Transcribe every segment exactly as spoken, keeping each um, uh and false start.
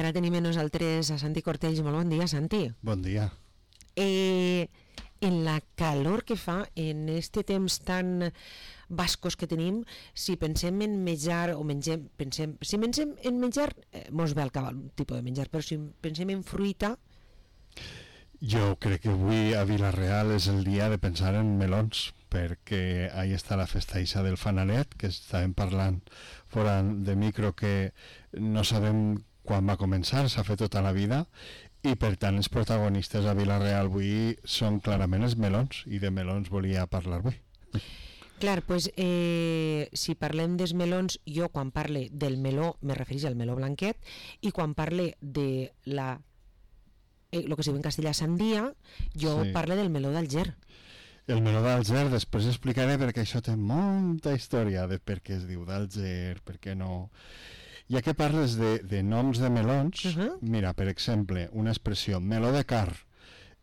ara tenim amb nosaltres a Santi Cortells. Molt bon dia, Santi. Bon dia. Eh, en la calor que fa, en este temps tan bascos que tenim, si pensem en menjar o mengem, pensem, si pensem en menjar, eh, mos ve al cap un tipus de menjar, però si pensem en fruita... Jo crec que avui a Vila-real és el dia de pensar en melons, perquè ahí està la festa ixa del fanalet, que estàvem parlant fora de micro, que no sabem quan va començar, s'ha fet tota la vida, i per tant els protagonistes a Vila-real avui són clarament els melons, i de melons volia parlar avui. Clar, pues, eh, si parlem dels melons, jo quan parle del meló me refereix al meló blanquet, i quan parle de la el eh, que se diu en castellà sandia, jo sí. parle del meló d'Alger. El meló d'Alger, després explicaré perquè això té molta història de per què es diu d'Alger, per què no... Ja que parles de, de noms de melons, uh-huh. mira, per exemple, una expressió, meló de car,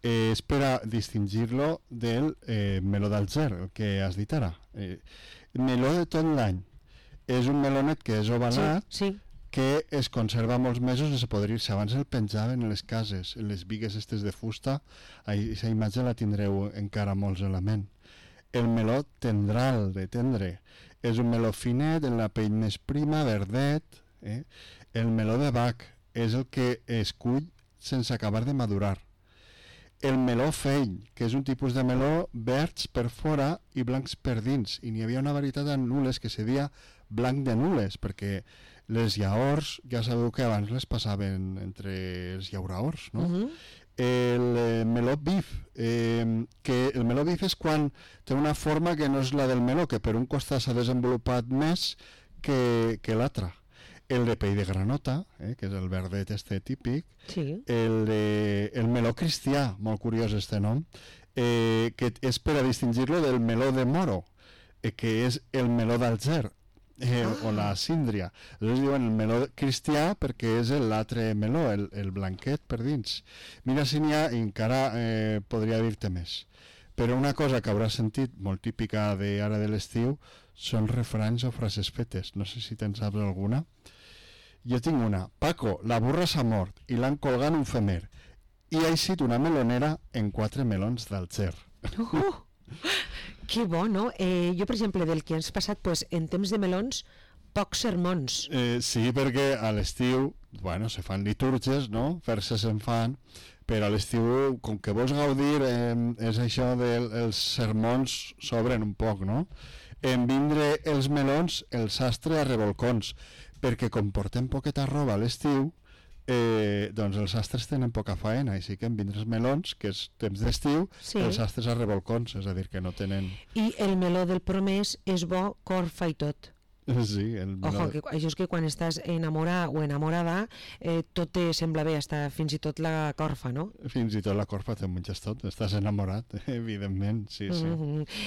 eh, és per a distingir-lo del eh, meló d'Alger, el que has dit ara. Eh, meló de tot l'any. És un melonet que és ovalat, sí, sí. que es conserva molts mesos sense podrir-se. Abans el penjaven en les cases, en les bigues estes de fusta, aquesta imatge la tindreu encara molts en la ment. El meló tendral, de tendre, és un meló finet, en la pell més prima, verdet. Eh? El meló de bac és el que es cull sense acabar de madurar. El meló fell, que és un tipus de meló verds per fora i blancs per dins, i n'hi havia una varietat de nules que se deia blanc de nules, perquè les llaors, ja sabeu que abans les passaven entre els llauraors, no? Uh-huh. El eh, meló bif, eh, que el meló bif és quan té una forma que no és la del meló, que per un costat s'ha desenvolupat més que, que l'altre. El de pell de granota, eh, que és el verdet este típic, sí. el, de, el meló cristià, molt curiós este nom, eh, que és per a distingir-lo del meló de moro, eh, que és el meló d'Alger, eh, ah. o la síndria. Llavors diuen el meló cristià perquè és l'altre meló, el, el blanquet per dins. Mira si n'hi ha, i encara eh, podria dir-te més. Però una cosa que hauràs sentit molt típica de ara de l'estiu són refranys o frases fetes. No sé si te'n saps alguna. Jo tinc una. Paco, la burra s'ha mort i l'han colgat en un femer. I ha eixit una melonera en quatre melons d'Alger. Uh, que bo, no? Eh, jo, per exemple, del que ens ha passat, pues, en temps de melons, pocs sermons. Eh, sí, perquè a l'estiu, bueno, se fan litúrgies, no? Fer-se se'n fan, però a l'estiu, com que vols gaudir, eh, és això dels sermons s'obren un poc, no? En vindre els melons, el sastre a revolcons, perquè com portem poqueta roba a l'estiu, eh, doncs els sastres tenen poca faena, així que en vindre els melons, que és temps d'estiu, sí. els sastres a revolcons, és a dir, que no tenen... I el meló del promès és bo, corfa i tot. Sí, el meló... Ojo, que això és que quan estàs enamorat o enamorada, eh, tot te sembla bé, hasta fins i tot la corfa, no? Fins i tot la corfa te menges tot, estàs enamorat, evidentment, sí, sí. Mm-hmm.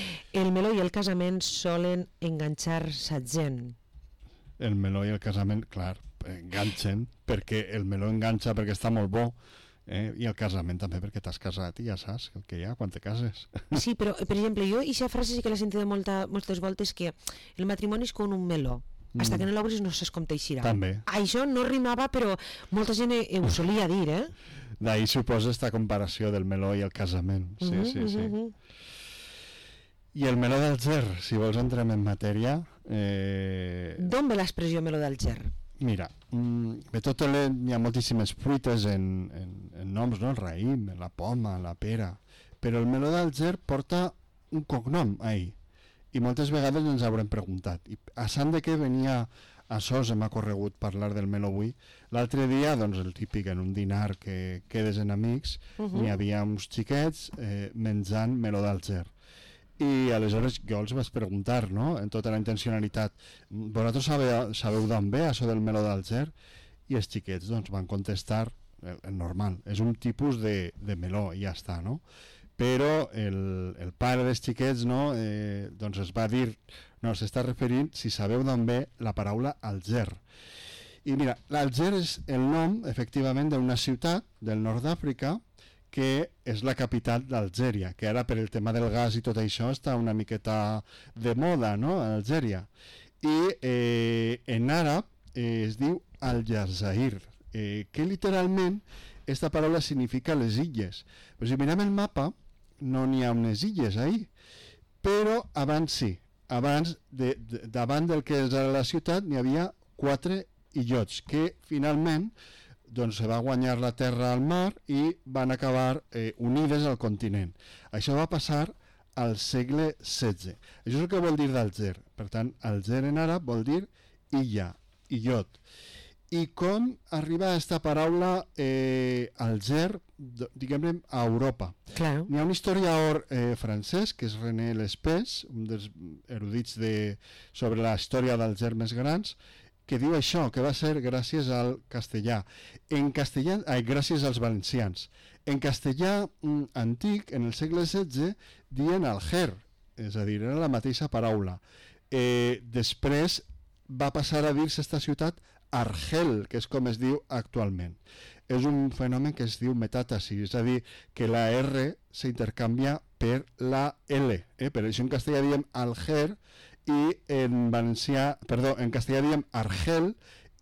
El meló i el casament solen enganxar-se gent. El meló i el casament, clar, enganxen, perquè el meló enganxa perquè està molt bo, eh? I el casament també perquè t'has casat i ja saps el que hi ha quan te cases. Sí, però, per exemple, jo aquesta frase sí que l'he sentit molta, moltes voltes, que el matrimoni és com un meló, mm. hasta que no l'obris no saps com t'eixirà. També. Això no rimava, però molta gent ho solia dir, eh? D'ahir suposa esta comparació del meló i el casament, sí, mm-hmm, sí, sí. Mm-hmm. I el meló d'Alger, si vols entrem en matèria... Eh... D'on ve l'expressió meló d'Alger? Mira, de tot el, hi ha moltíssimes fruites en, en, en noms, no? El raïm, la poma, la pera, però el meló d'Alger porta un cognom ahí, i moltes vegades ens haurem preguntat, i a sant de què venia a sos m'ha corregut parlar del meló avui. L'altre dia, doncs el típic, en un dinar que quedes en amics, uh-huh. n'hi havia uns xiquets eh, menjant meló d'Alger. I aleshores jo els vaig preguntar, no?, en tota la intencionalitat, vosaltres sabeu, sabeu d'on ve això del meló d'Alger? I els xiquets doncs van contestar el, el normal, és un tipus de, de meló i ja està, no? Però el, el pare dels xiquets, no?, eh, doncs es va dir, no, s'està referint, si sabeu d'on ve, la paraula Alger. I mira, l'Alger és el nom, efectivament, d'una ciutat del nord d'Àfrica que és la capital d'Algèria, que ara per el tema del gas i tot això està una miqueta de moda, no?, a Algèria. I eh, en àrab eh, es diu Al-Jazair, eh, que literalment esta paraula significa les illes. Però si mirem el mapa, no n'hi ha unes illes ahí, però abans sí, abans de, de, davant del que és la ciutat n'hi havia quatre illots que finalment doncs, se va guanyar la terra al mar i van acabar eh, unides al continent. Això va passar al segle setze. Això és el que vol dir d'Alger. Per tant, Alger en àrab vol dir illa, illot. I com arriba aquesta paraula eh, Alger, diguem-ne, a Europa? Claro. N'hi ha un historiador eh, francès, que és René Lespès, un dels erudits de, sobre la història d'Alger més grans, que diu això, que va ser gràcies al castellà. En castellà, ai, gràcies als valencians. En castellà mm, antic, en el segle setze, diuen Alger, és a dir, era la mateixa paraula. Eh, després va passar a dir-se esta ciutat Argel, que és com es diu actualment. És un fenomen que es diu metàtasi, és a dir, que la R s'intercanvia per la L. Eh? Per això en castellà diem Alger i en valencià, perdó, en castellà diem Argel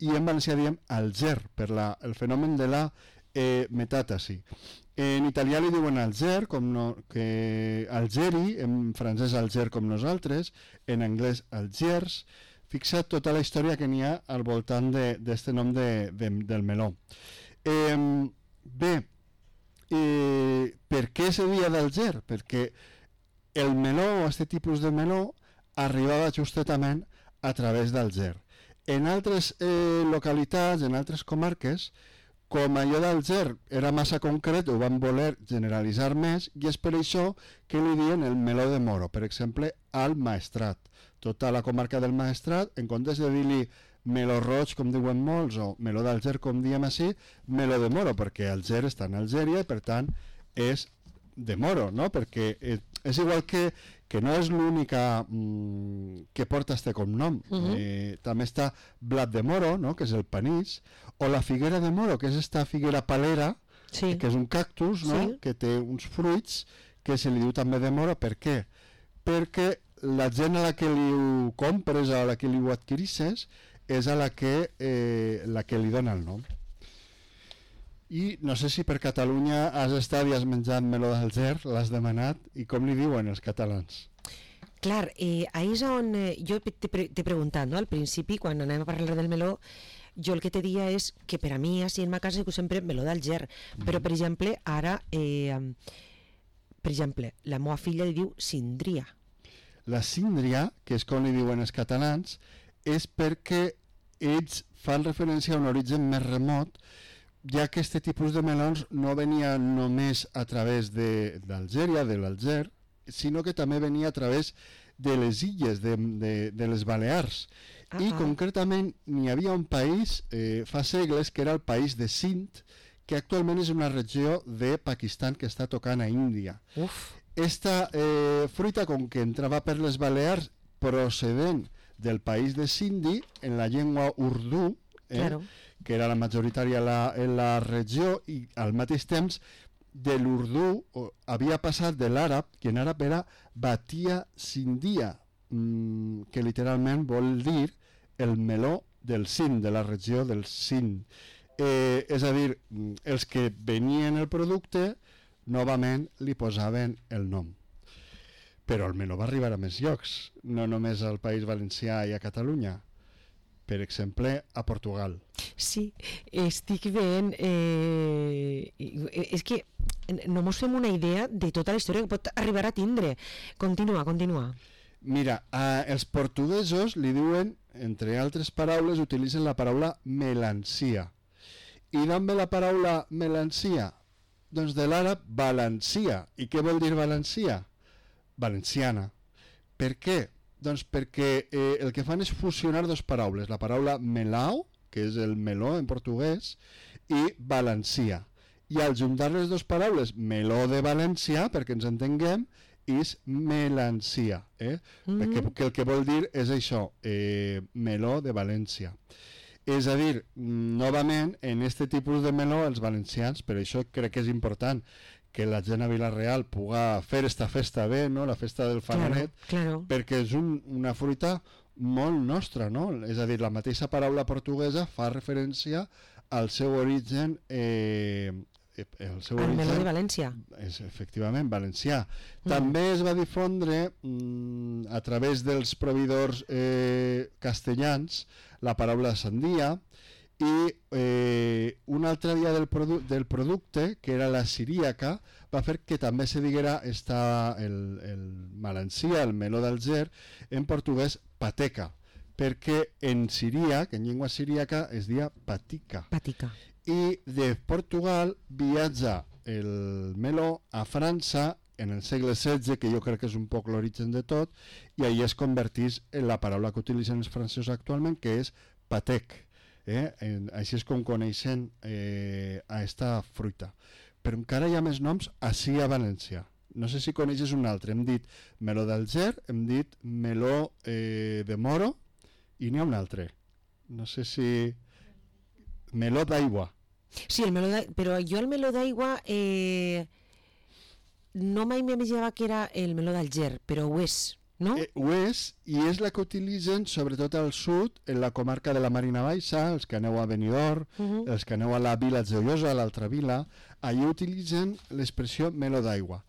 i en valencià diem Alger, per la, el fenomen de la eh, metàtasi. En italià li diuen Alger, com no, que Algeri, en francès Alger com nosaltres, en anglès Algiers. Fixa't tota la història que n'hi ha al voltant d'aquest nom de, de, del meló. Eh, bé, eh, per què se dia d'Alger? Perquè el meló, o aquest tipus de meló, arribava justament a través d'Alger. En altres eh, localitats, en altres comarques, com allò d'Alger era massa concret, ho van voler generalitzar més, i és per això que li diuen el meló de Moro, per exemple, al Maestrat. Tota la comarca del Maestrat, en comptes de dir-li meló roig, com diuen molts, o meló d'Alger, com diem així, meló de Moro, perquè Alger està en Algèria i, per tant, és de Moro, no? Perquè eh, és igual que, que no és l'única mm, que porta este cognom. Uh-huh. eh, també està blat de Moro, no? Que és el panís, o la figuera de Moro, que és esta figuera palera, sí. que és un cactus, no? Sí. Que té uns fruits, que se li diu també de Moro. Per què? Perquè la gent a la que li ho compres, a la que li ho adquirisses, és a la que, eh, la que li dona el nom. I no sé si per Catalunya has estat i has menjat meló d'Alger, l'has demanat, i com li diuen els catalans? Clar, eh, ahí és on eh, jo t'he pre preguntat, no? Al principi, quan anem a parlar del meló, jo el que te dia és que per a mi, així en ma casa, dic sempre meló d'Alger, mm. però per exemple, ara, eh, per exemple, la meva filla li diu síndria. La síndria, que és com li diuen els catalans, és perquè ells fan referència a un origen més remot, ja que aquest tipus de melons no venia només a través d'Algèria, de, de l'Alger, sinó que també venia a través de les illes, de, de, de les Balears. Ah, I ah. concretament n'hi havia un país eh, fa segles que era el país de Sind, que actualment és una regió de Pakistan que està tocant a Índia. Uf. Esta eh, fruita, com que entrava per les Balears procedent del país de Sindhi, en la llengua urdú, eh, claro. que era la majoritària la, en la regió, i al mateix temps de l'urdú havia passat de l'àrab, que en àrab era Batia Sindia, mmm, que literalment vol dir el meló del Sind, de la regió del Sind. Eh, és a dir, els que venien el producte novament li posaven el nom. Però el meló va arribar a més llocs, no només al País Valencià i a Catalunya. Per exemple, a Portugal. Sí, estic veient... Eh, és que no mos fem una idea de tota la història que pot arribar a tindre. Continua, continua. Mira, a, els portuguesos li diuen, entre altres paraules, utilitzen la paraula melancia. I d'on ve la paraula melancia? Doncs de l'àrab valencia. I què vol dir valencia? Valenciana. Per què? Doncs perquè eh, el que fan és fusionar dues paraules, la paraula melao, que és el meló en portuguès, i valencia. I al juntar les dues paraules, meló de València, perquè ens entenguem, és melancia. Eh? Mm-hmm. que, que el que vol dir és això, eh, meló de València. És a dir, novament, en aquest tipus de meló, els valencians, per això crec que és important que la gent a Vila-real puga fer esta festa bé, no? La festa del fananet, claro, claro. perquè és un, una fruita molt nostra, no? És a dir, la mateixa paraula portuguesa fa referència el seu origen eh, el seu el origen, meló de València. És efectivament valencià. Mm. També es va difondre mm, a través dels proveïdors eh, castellans la paraula sandia i eh, una altra via del, produ del producte, que era la siríaca, va fer que també se diguera esta, el, el malancia, el meló d'Alger, en portuguès pateca, perquè en siríac, en llengua siríaca, es dia patica. Patica. I de Portugal viatja el meló a França en el segle setze, que jo crec que és un poc l'origen de tot, i ahí es convertís en la paraula que utilitzen els francesos actualment, que és patec. Eh? En, així és com coneixen eh, a esta fruita. Però encara hi ha més noms així a València. No sé si coneixes un altre. Hem dit meló d'Alger, hem dit meló eh, de Moro, i n'hi ha un altre. No sé si... Meló d'aigua. Sí, el meló d'aigua, però jo el meló d'aigua eh, no mai m'imaginava que era el meló d'Alger, però ho és, no? Eh, ho és, i és la que utilitzen sobretot al sud, en la comarca de la Marina Baixa, els que aneu a Benidorm, uh -huh. els que aneu a la vila Joiosa, a l'altra vila, allà utilitzen l'expressió meló d'aigua.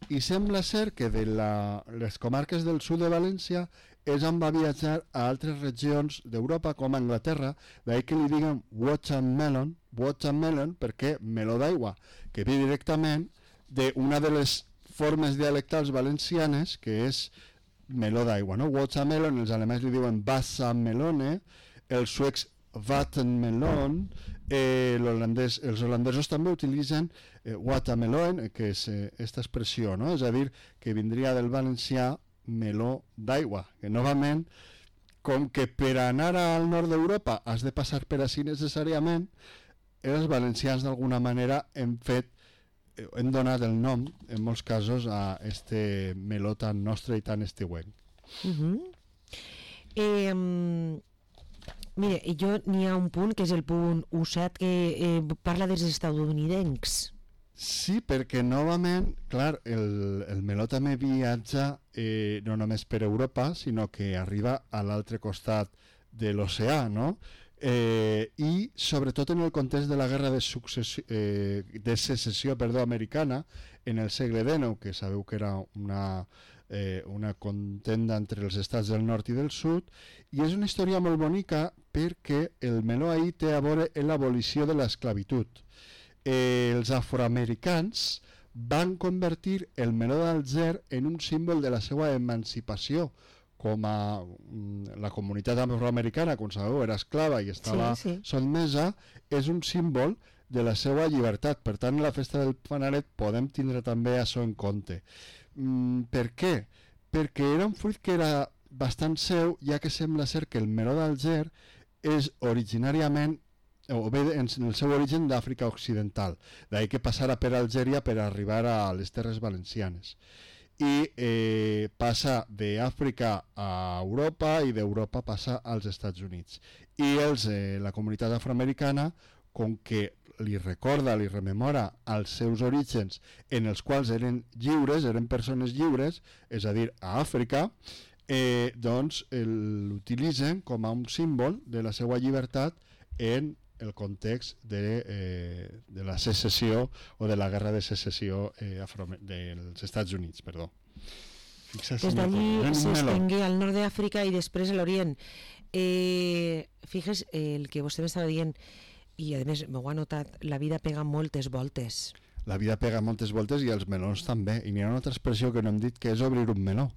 I sembla ser que de la, les comarques del sud de València és on va viatjar a altres regions d'Europa, com a Anglaterra, d'ahir que li diguen watermelon, watermelon, perquè meló d'aigua, que ve directament d'una de les formes dialectals valencianes, que és meló d'aigua, no? Watermelon, els alemanys li diuen Wassermelone, els suecs Vattenmelon, eh, holandès, els holandesos també utilitzen eh, watermelon, que és eh, esta expressió, no? És a dir, que vindria del valencià meló d'aigua, que novament, com que per anar al nord d'Europa has de passar per així necessàriament, els valencians d'alguna manera hem fet, hem donat el nom, en molts casos, a este meló tan nostre i tan estiuenc. Uh -huh. eh, mire, jo n'hi ha un punt, que és el punt u set, que eh, parla dels estatunidencs. Sí, perquè novament, clar, el, el meló també viatja eh, no només per Europa, sinó que arriba a l'altre costat de l'oceà, no? Eh, i sobretot en el context de la guerra de, successió, eh, de secessió perdó, americana en el segle dinou, que sabeu que era una, eh, una contenda entre els estats del nord i del sud, i és una història molt bonica perquè el meló ahí té a veure amb l'abolició de l'esclavitud. Eh, els afroamericans van convertir el meló d'Alger en un símbol de la seva emancipació, com a la comunitat afroamericana, com sabeu, era esclava i estava sí, sí. sotmesa, és un símbol de la seva llibertat. Per tant, en la festa del Fanalet podem tindre també això en compte. Mm, per què? Perquè era un fruit que era bastant seu, ja que sembla ser que el meló d'Alger és originàriament o bé en el seu origen d'Àfrica Occidental, d'ahir que passara per Algèria per arribar a les terres valencianes. I eh, passa d'Àfrica a Europa i d'Europa passa als Estats Units. I els, eh, la comunitat afroamericana, com que li recorda, li rememora els seus orígens en els quals eren lliures, eren persones lliures, és a dir, a Àfrica, eh, doncs l'utilitzen com a un símbol de la seva llibertat en el context de, eh, de la secessió o de la guerra de secessió eh, dels Estats Units, perdó. Des d'allí s'estengué al nord d'Àfrica i després a l'Orient. Eh, fixes, eh, el que vostè m'estava dient, i a més m'ho ha notat, la vida pega moltes voltes. La vida pega moltes voltes i els melons també. I n'hi ha una altra expressió que no hem dit, que és obrir un meló.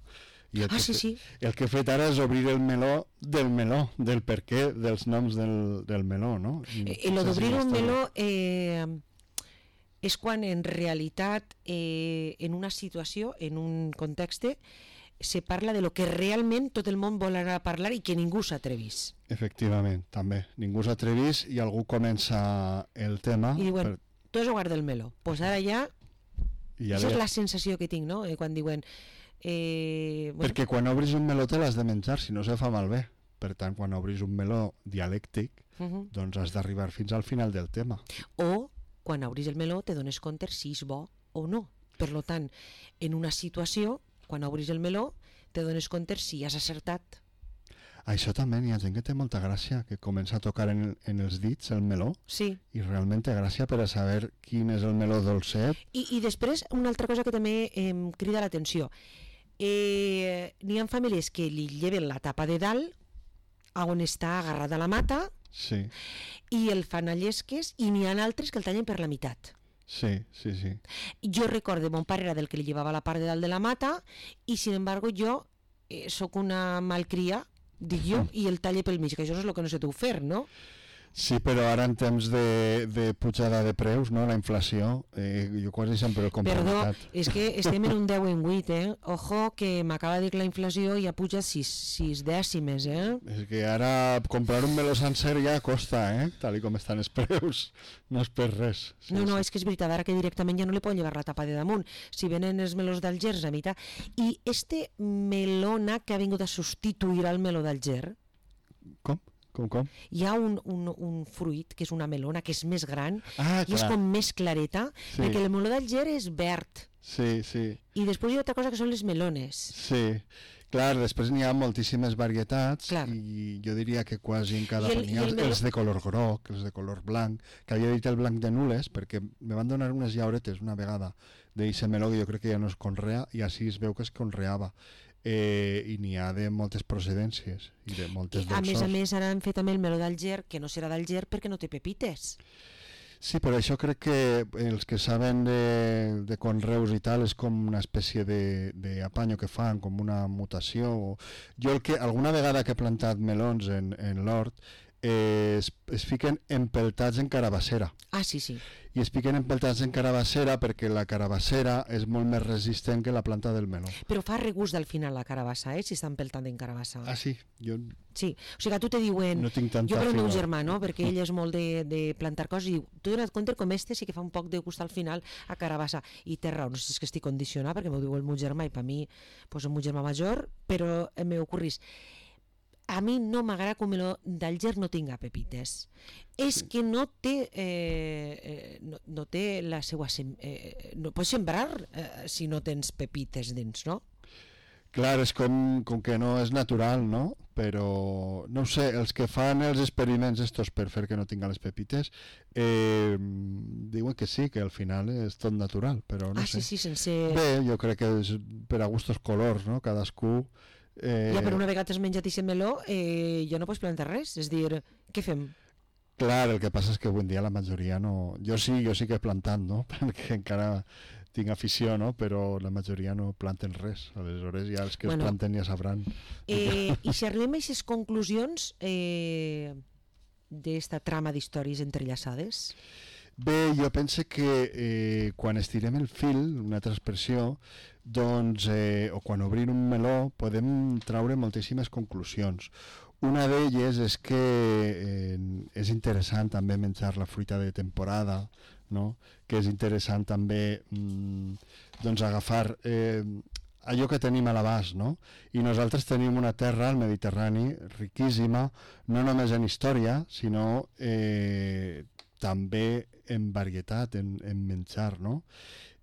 I el, ah, que sí, sí. el que he fet ara és obrir el meló del meló, del perquè dels noms del, del meló, no? Eh, el d'obrir un meló eh, és quan en realitat eh, en una situació, en un context, se parla de lo que realment tot el món vol anar a parlar i que ningú s'atrevís. Efectivament, també. Ningú s'atrevís i algú comença el tema. I diuen, per... tu has jugat del meló. Doncs pues ara ja... ja Això li... és la sensació que tinc, no? Eh, quan diuen... Eh, bueno. Perquè quan obris un meló te l'has de menjar, si no se fa malbé. Per tant, quan obris un meló dialèctic, uh -huh. doncs has d'arribar fins al final del tema. O quan obris el meló te dones compte si és bo o no. Per tant, en una situació, quan obris el meló, te dones compte si has acertat. Això també hi ha gent que té molta gràcia, que comença a tocar en, en els dits el meló, sí. I realment té gràcia per a saber quin és el meló dolcet. I, i després, una altra cosa que també em crida l'atenció. Eh, n'hi ha famílies que li lleven la tapa de dalt, on està agarrada la mata, sí. I el fan a llesques, i n'hi ha altres que el tallen per la meitat. Sí, sí, sí. Jo recordo, mon pare era del que li llevava la part de dalt de la mata, i sin embargo jo eh, sóc una malcria, dic jo, i el talle pel mig, que això és el que no sé tu fer, no? Sí, però ara en temps de, de pujada de preus, no, la inflació, eh, jo quasi sempre ho compro. Perdó, és que estem en un deu en vuit, eh? Ojo, que m'acaba de dir que la inflació ja puja sis, sis dècimes, eh? És que ara comprar un meló sencer ja costa, eh? Tal com estan els preus, no és per res. Sí, no, no, sí. És que és veritat, ara que directament ja no li poden llevar la tapa de damunt, si venen els melons d'Algers a mitjà. I este melona que ha vingut a substituir al meló d'Alger... Com? Com, com? Hi ha un, un, un fruit, que és una melona, que és més gran, ah, i és com més clareta, sí. Perquè el meló d'Alger és verd. Sí, sí. I després hi ha altra cosa que són les melones. Sí, clar, després n'hi ha moltíssimes varietats, clar. I jo diria que quasi en cada el, n'hi ha meló... els de color groc, els de color blanc, que havia dit el blanc de nules, perquè me van donar unes llauretes una vegada d'eixe meló que jo crec que ja no es conrea, i així es veu que es conreava. Eh, i n'hi ha de moltes procedències i de moltes dolçors. A més a més ara han fet també el meló d'Alger, que no serà d'Alger perquè no té pepites. Sí, però això crec que els que saben de, de conreus i tal és com una espècie d'apanyo que fan, com una mutació. Jo el que alguna vegada que he plantat melons en, en l'hort eh, es, es fiquen empeltats en carabassera. Ah, sí, sí. I es piquen empeltats en carabassera perquè la carabassera és molt més resistent que la planta del meló. Però fa regust al final la carabassa, eh, si està empeltant en carabassa. Ah, sí? Jo... Sí, o sigui que tu te diuen... No tinc tanta jo per el meu fila. germà, no?, perquè ell és molt de, de plantar coses, i diu, tu donat compte com este sí que fa un poc de gust al final a carabassa. I té raó, no sé si és que estic condicionat, perquè m'ho diu el meu germà, i per mi, pues, el meu germà major, però em m'ocorrís. A mi no m'agrada que el meló d'Alger no tinga pepites. És que no té eh, eh, no, no té la seva sem eh, no pots sembrar eh, si no tens pepites dins, no? Clar, és com, com que no és natural, no? Però, no ho sé, els que fan els experiments estos per fer que no tinga les pepites eh, diuen que sí, que al final és tot natural, però no ah, sé. Sí, sí, sense... Bé, jo crec que és per a gustos colors, no? Cadascú... Eh... Ja, però una vegada t'has menjat aquest meló eh, ja no pots plantar res, és dir, què fem? Clar, el que passa és que avui en dia la majoria no... Jo sí, jo sí que he plantat, no? Perquè encara tinc afició, no? Però la majoria no planten res. Aleshores ja els que bueno, es planten ja sabran. Eh, I si arribem a aquestes conclusions eh, d'esta trama d'històries entrellaçades? Bé, jo penso que eh, quan estirem el fil, una altra expressió, doncs, eh, o quan obrim un meló, podem traure moltíssimes conclusions. Una d'elles és que eh, és interessant també menjar la fruita de temporada, no? Que és interessant també mm, doncs agafar eh, allò que tenim a l'abast, no? I nosaltres tenim una terra, al Mediterrani, riquíssima, no només en història, sinó eh, també en varietat, en, en menjar, no?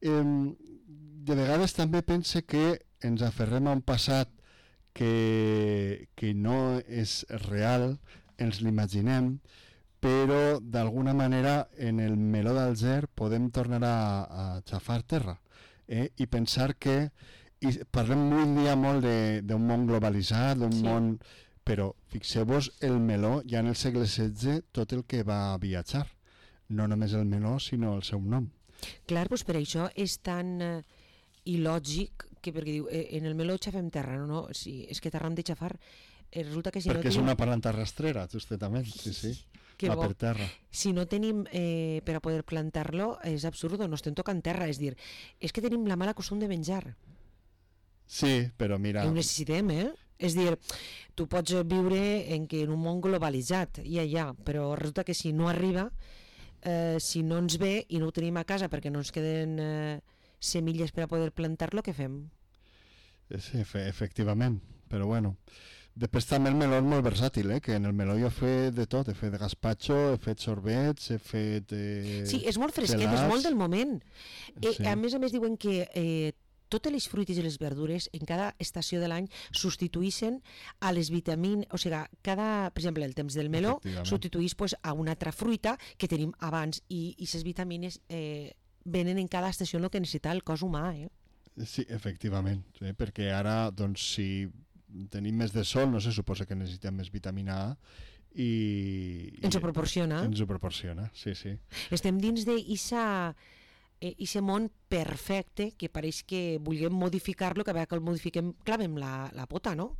Eh, de vegades també pense que ens aferrem a un passat que, que no és real, ens l'imaginem, però d'alguna manera en el meló d'Alger podem tornar a, a xafar terra eh? I pensar que i parlem avui en dia molt d'un món globalitzat, d'un sí. món, però fixeu-vos el meló ja en el segle setze tot el que va viatjar, no només el meló sinó el seu nom. Clar, doncs per això és tan eh, il·lògic que perquè diu, eh, en el meló xafem terra, no, no, sí, és que terra hem de xafar, eh, resulta que si perquè no és tenim... una planta rastrera, justament, sí, sí, que va bo. Per terra. Si no tenim eh, per a poder plantar-lo, és absurdo, no estem tocant terra, és dir, és que tenim la mala costum de menjar. Sí, però mira... I ho necessitem, eh? És dir, tu pots viure en, que en un món globalitzat, ja, ja, però resulta que si no arriba, eh, si no ens ve i no ho tenim a casa perquè no ens queden... Eh, semilles per a poder plantar-lo, què fem? Sí, efe, efectivament, però bueno. Després també el meló és molt versàtil, eh? Que en el meló jo he fet de tot, he fet de gazpacho, he fet sorbets, he fet... Eh, sí, és molt fresquet, gelats. És molt del moment. Eh, sí. A més a més diuen que eh, totes les fruites i les verdures en cada estació de l'any substitueixen a les vitamines, o sigui, cada, per exemple, el temps del meló substitueix pues, a una altra fruita que tenim abans i aquestes vitamines eh, venen en cada estació el que necessita el cos humà. Eh? Sí, efectivament, eh? perquè ara, doncs, si tenim més de sol, no se suposa que necessitem més vitamina A i... Ens ho proporciona. Ens ho proporciona, sí, sí. Estem dins d'eixa... aquest món perfecte que pareix que vulguem modificar-lo, que a veure que el modifiquem, clavem la, la pota, no?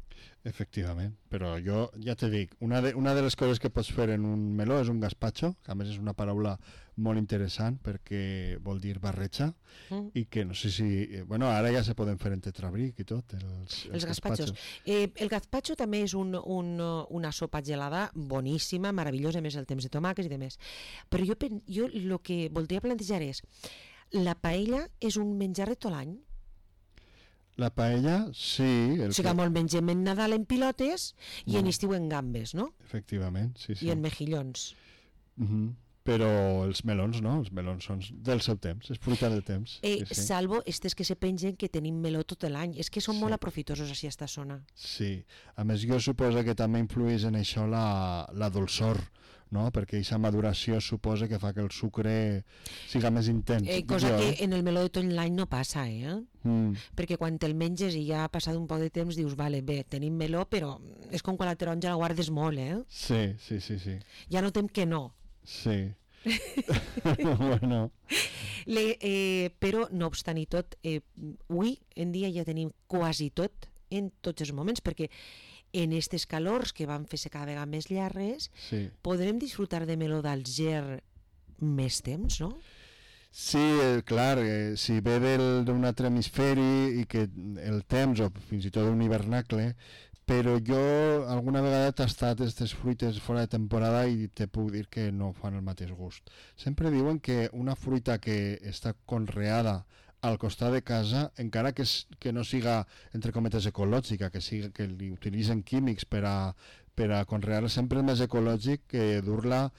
Efectivament, però jo ja te dic, una de, una de les coses que pots fer en un meló és un gazpacho, que a més és una paraula molt interessant perquè vol dir barreja, mm. i que no sé si... Bueno, ara ja se poden fer en tetrabric i tot, els, els, els gazpachos. Eh, el gazpacho també és un, un, una sopa gelada boníssima, meravellosa, a més el temps de tomàquets i de més. Però jo, jo el que voldria plantejar és la paella és un menjar de tot l'any? La paella, sí. El o sigui que molt mengem en Nadal en pilotes i no. en estiu en gambes, no? Efectivament, sí, sí. I en mejillons. Uh-huh. Però els melons no, els melons són del seu temps, és fruita del temps. Eh, sí, sí. Salvo estes que se pengen que tenim meló tot l'any, és que són sí. molt aprofitosos així a esta zona. Sí, a més jo suposo que també influeix en això la, la dolçor, no? Perquè aquesta maduració suposa que fa que el sucre siga més intens. Eh, cosa jo, que eh? en el meló de tot l'any no passa, eh? Mm. Perquè quan te'l menges i ja ha passat un poc de temps dius, vale, bé, tenim meló, però és com quan la taronja la guardes molt, eh? Sí, sí, sí, sí. Ja notem que no. Sí. Bueno. Le, eh, però, no obstant i tot, eh, avui en dia ja tenim quasi tot en tots els moments, perquè en aquestes calors que van fer-se cada vegada més llargues, sí. podrem disfrutar de meló d'Alger més temps, no? Sí, eh, clar, eh, si ve d'un altre hemisferi i que el temps, o fins i tot un hivernacle, però jo alguna vegada he tastat aquestes fruites fora de temporada i te puc dir que no fan el mateix gust. Sempre diuen que una fruita que està conreada al costat de casa, encara que, es, que no siga, entre cometes, ecològica, que, siga, que li utilitzen químics per a, per a conrear-la, sempre és més ecològic que dur-la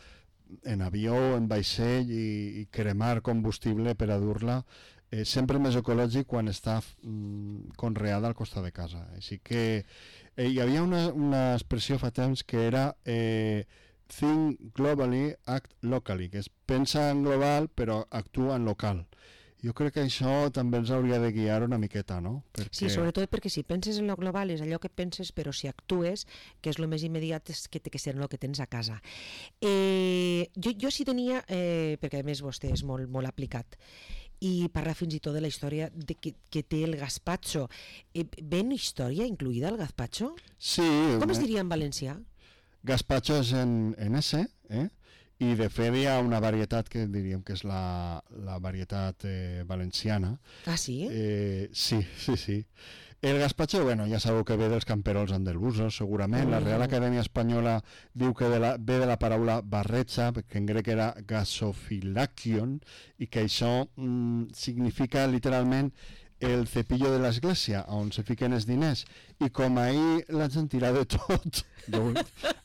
en avió, en vaixell i, i cremar combustible per a dur-la. Eh, sempre més ecològic quan està mm, conreada al costat de casa. Així que eh, hi havia una, una expressió fa temps que era eh, think globally, act locally, que és pensa en global però actua en local. Jo crec que això també ens hauria de guiar una miqueta, no? Perquè... Sí, sobretot perquè si penses en lo global és allò que penses, però si actues, que és el més immediat, és que té que ser el que tens a casa. Eh, jo, jo sí tenia, eh, perquè a més vostè és molt, molt aplicat, i parla fins i tot de la història de que, que té el gazpacho. Eh, ¿ven història incluïda el gazpacho? Sí. Com es diria en valencià? Gazpacho és en, en S, eh? I de fet hi ha una varietat que diríem que és la, la varietat eh, valenciana. Ah, sí? Eh, sí, sí, sí. El gazpacho, bueno, ja sabeu que ve dels camperols andalusos, segurament. Mm. La Real Acadèmia Espanyola diu que de la, ve de la paraula barrecha, que en grec era gasofilakion, i que això mm, significa literalment el cepillo de l'església, on se fiquen els diners. I com ahir la gent tira de tot, jo,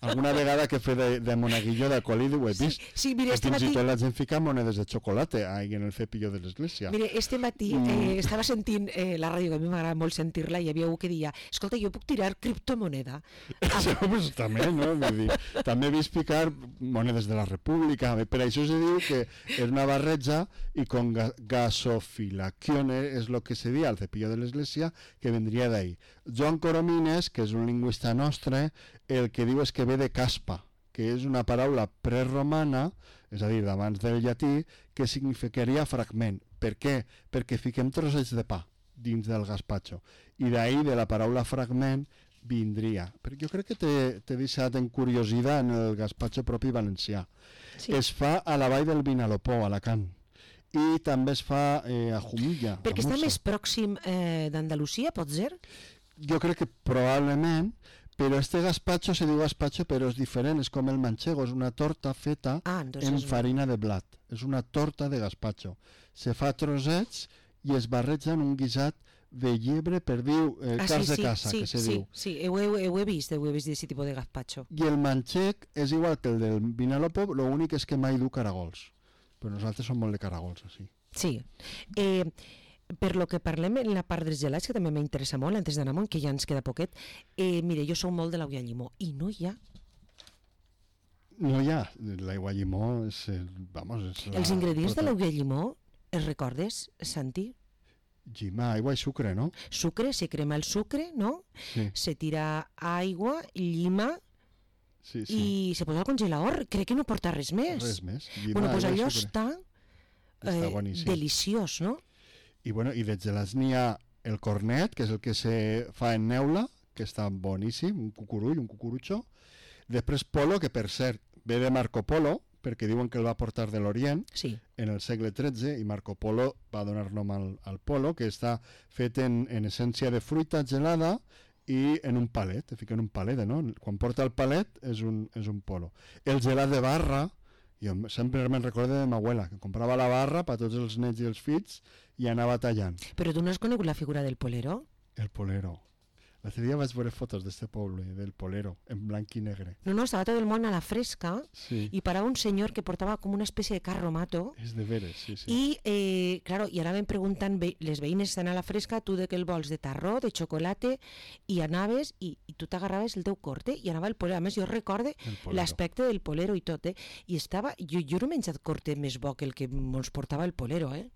alguna vegada que he fet de, de monaguillo d'alcohol ho he vist, sí, sí, mira, este fins matí... i tot la gent fica monedes de xocolate ahí en el cepillo de l'església. Mire, este matí mm. eh, estava sentint eh, la ràdio, que a mi m'agrada molt sentir-la, i hi havia algú que deia, escolta, jo puc tirar criptomoneda? Ah. Sí, pues, també, no? Vull dir, també he vist picar monedes de la República, per això se diu que és una barreja i con ga gasofilacione és el que se dia al cepillo de l'església, que vendria d'ahí. Joan Coromines, que és un lingüista nostre, el que diu és que ve de caspa, que és una paraula preromana, és a dir, d'abans del llatí, que significaria fragment. Per què? Perquè fiquem trossets de pa dins del gazpacho. I d'ahí, de la paraula fragment, vindria. Perquè jo crec que t'he deixat en curiositat en el gazpacho propi valencià. Sí. Es fa a la vall del Vinalopó, a Alacant. I també es fa eh, a Jumilla. Perquè està més pròxim eh, d'Andalusia, pot ser? Jo crec que probablement, però este gazpacho se diu gazpacho però és diferent, és com el manchego, és una torta feta ah, en farina de blat, és una torta de gazpacho. Se fa trossets i es barreja en un guisat de llebre, per dir, eh, ah, carn sí, de casa, sí, que se sí, diu. Sí, sí, ho he, ho he vist, ho he vist d'aquest tipus de gazpacho. I el manxec és igual que el del Vinalopó, l'únic és que mai du caragols, però nosaltres som molt de caragols, així. Sí. Eh... per lo que parlem en la part dels gelats, que també m'interessa molt, antes d'anar amunt, que ja ens queda poquet, eh, mire, jo sou molt de l'aigua llimó, i no hi ha. No hi ha. L'aigua llimó és... Vamos, és la... Els ingredients de l'aigua llimó, els recordes, Santi? Llima, aigua i sucre, no? Sucre, se crema el sucre, no? Sí. Se tira aigua, llima, Sí, sí. i se posa al congelador. Crec que no porta res més. Res més. Llima, bueno, doncs aigua i allò sucre. està, Està eh, boníssim. deliciós, no? I, bueno, i de gelats n'hi ha el cornet, que és el que se fa en neula, que està boníssim, un cucurull, un cucurutxo. Després polo, que per cert ve de Marco Polo, perquè diuen que el va portar de l'Orient Sí. en el segle tretze, i Marco Polo va donar nom al, al polo, que està fet en, en essència de fruita gelada i en un palet, te fiquen un palet, no? Quan porta el palet és un, és un polo. El gelat de barra, jo sempre me'n recordo de ma abuela, que comprava la barra per tots els nets i els fills i anava tallant. Però tu no has conegut la figura del polero? El polero. L'altre dia vaig veure fotos d'este poble, del polero, en blanc i negre. No, no, estava tot el món a la fresca Sí, i parava un senyor que portava com una espècie de carromato és de veres, sí, sí. i, eh, claro, i anaven preguntant, ve, les veïnes estan a la fresca, tu de què el vols, de tarró, de xocolate, i anaves i, i tu t'agarraves el teu corte i anava el polero. A més, jo recorde El polero. l'aspecte del polero i tot, eh? I estava, jo, jo no he menjat corte més bo que el que ens portava el polero, eh?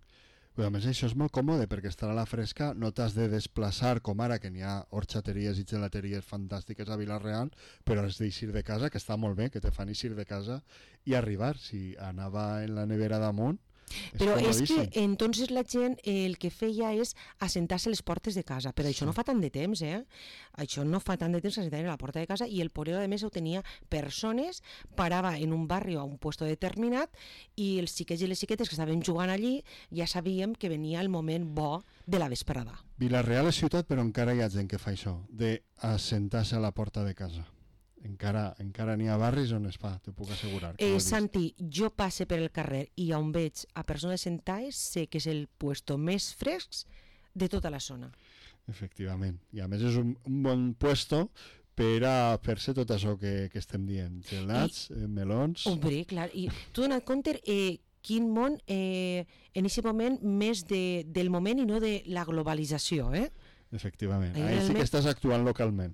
Però a més això és molt còmode perquè estar a la fresca no t'has de desplaçar com ara que n'hi ha horxateries i gelateries fantàstiques a Vila-real, però has d'eixir de casa, que està molt bé, que te fan eixir de casa i arribar. Si anava en la nevera damunt, és Però és comodíssim. que entonces la gent eh, el que feia és assentar-se a les portes de casa, però això Sí. no fa tant de temps, eh? Això no fa tant de temps assentar a la porta de casa i el polero a més ho tenia persones, parava en un barri o a un puesto determinat i els xiquets i les xiquetes que estaven jugant allí ja sabíem que venia el moment bo de la vesprada. Vila-real és ciutat, però encara hi ha gent que fa això, d'assentar-se a la porta de casa. Encara encara n'hi ha barris on es fa, t'ho puc assegurar. que ho he Eh, vist. Santi, jo passe per el carrer i on veig a persones sentades sé que és el puesto més fresc de tota la zona. Efectivament. I a més és un, un bon puesto per a fer-se tot això que, que estem dient. Gelats, I... eh, melons... Hombre, clar, i tu dona't compte eh, quin món eh, en aquest moment més de, del moment i no de la globalització, eh? Efectivament. Ahí Ahí sí realment- que estàs actuant localment.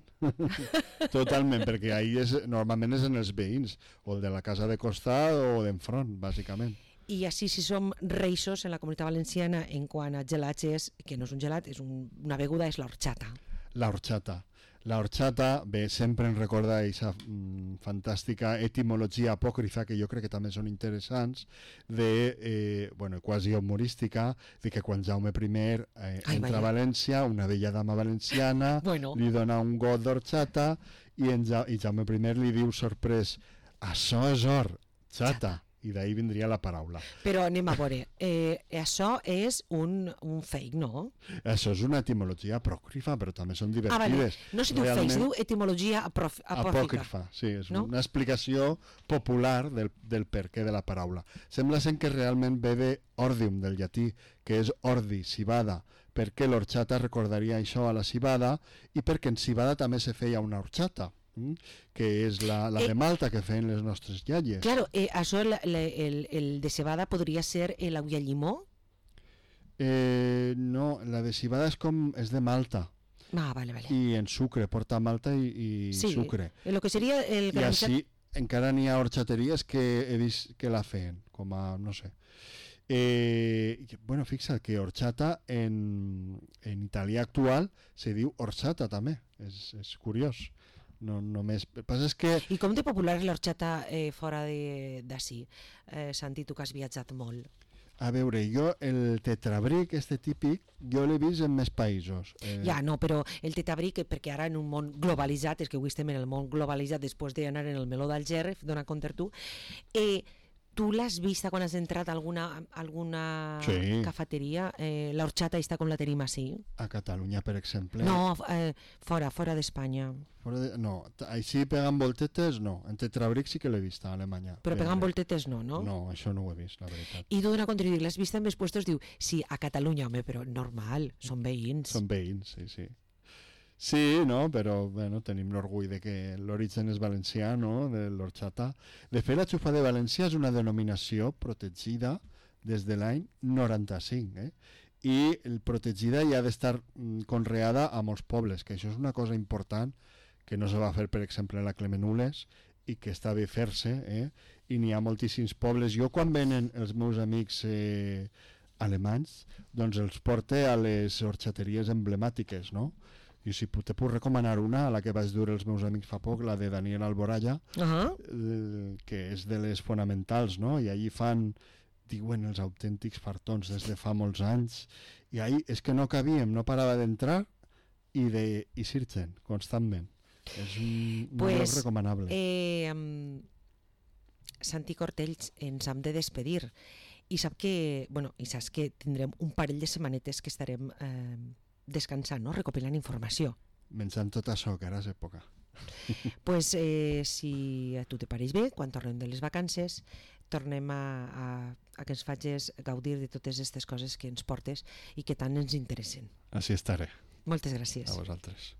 Totalment, perquè ahí és, normalment és en els veïns, o el de la casa de costat o d'enfront, bàsicament. I així si som reixos en la comunitat valenciana en quant a gelats és, que no és un gelat, és un, una beguda, és l'horchata. La horchata. La horchata, bé, sempre em recorda aquesta mm, fantàstica etimologia apòcrifa, que jo crec que també són interessants, de, eh, bueno, quasi humorística, de que quan Jaume I eh, Ai, entra vaya. a València, una bella dama valenciana Bueno. li dona un got d'horchata i, en ja, i Jaume I li diu sorprès, això és horchata. I d'ahir vindria la paraula. Però anem a veure, eh, això és un, un fake, no? Això és una etimologia apòcrifa, però també són Ah, vale. divertides. No se diu fake, se diu etimologia aprof- apòcrifa. Apòcrifa, sí, és No? una explicació popular del, del perquè de la paraula. Sembla ser que realment ve de ordium, del llatí, que és ordi, cibada, perquè l'orxata recordaria això a la cibada i perquè en cibada també se feia una horchata, mm? que és la, la Eh, de Malta que feien les nostres iaies. Claro, eh, això, el, el, el de cebada podria ser l'aigua llimó? Eh, no, la de cibada és com és de Malta Ah, vale, vale. i en sucre, porta malta i, i Sí, sucre. el que seria el I granissat. així encara n'hi ha horxateries que he vist que la feien, com a, no sé. Eh, i, bueno, fixa't que horchata en, en italià actual se diu orxata també, és, és curiós. No, només... El que passa és que I com de popular és l'horchata eh, fora de- d'ací? Eh, Santi, tu que has viatjat molt. a veure, jo el tetrabric, este típic, jo l'he vist en més països. Eh, Ja, no, però el tetabric, perquè ara en un món globalitzat, és que avui estem en el món globalitzat després d'anar en el meló d'Alger, dona compte tu, eh, tu l'has vista quan has entrat a alguna, alguna Sí. cafeteria? Eh, l'horchata està com la tenim així? A Catalunya, per exemple. No, eh, fora, fora d'Espanya. Fora de, no, t- així pegant voltetes, no. En tetrabric sí que l'he vist a Alemanya. Però Ben pegant bé. voltetes no, no? No, això no ho he vist, la veritat. I tu dona compte, i dic, l'has vista en més puestos? Diu, sí, a Catalunya, home, però normal, són veïns. Són veïns, sí, sí. Sí, no, però bueno, tenim l'orgull de que l'origen és valencià, no?, de l'horchata. De fet, la xufa de València és una denominació protegida des de l'any noranta-cinc, eh? i el protegida i ha d'estar conreada a molts pobles, que això és una cosa important que no se va fer, per exemple, a la Clemenules i que està bé fer-se, eh? I n'hi ha moltíssims pobles. Jo quan venen els meus amics eh, alemanys, doncs els porte a les horxateries emblemàtiques, no? I si te puc recomanar una, a la que vaig dur els meus amics fa poc, la de Daniel Alboraya, uh-huh. eh, que és de les fonamentals, no? I allí fan, diuen, els autèntics fartons des de fa molts anys, i ahí és que no cabíem, no parava d'entrar i de i sirgen constantment. És un, un pues, lloc recomanable. Eh, um, Santi Cortells, ens hem de despedir i sap que, bueno, i saps que tindrem un parell de setmanetes que estarem eh, descansant, no? Recopilant informació. Menjant tot això, que ara és època. Pues, eh, si a tu te pareix bé, quan tornem de les vacances, tornem a, a, a que ens facis gaudir de totes aquestes coses que ens portes i que tant ens interessen. Així estaré. Moltes gràcies. A vosaltres.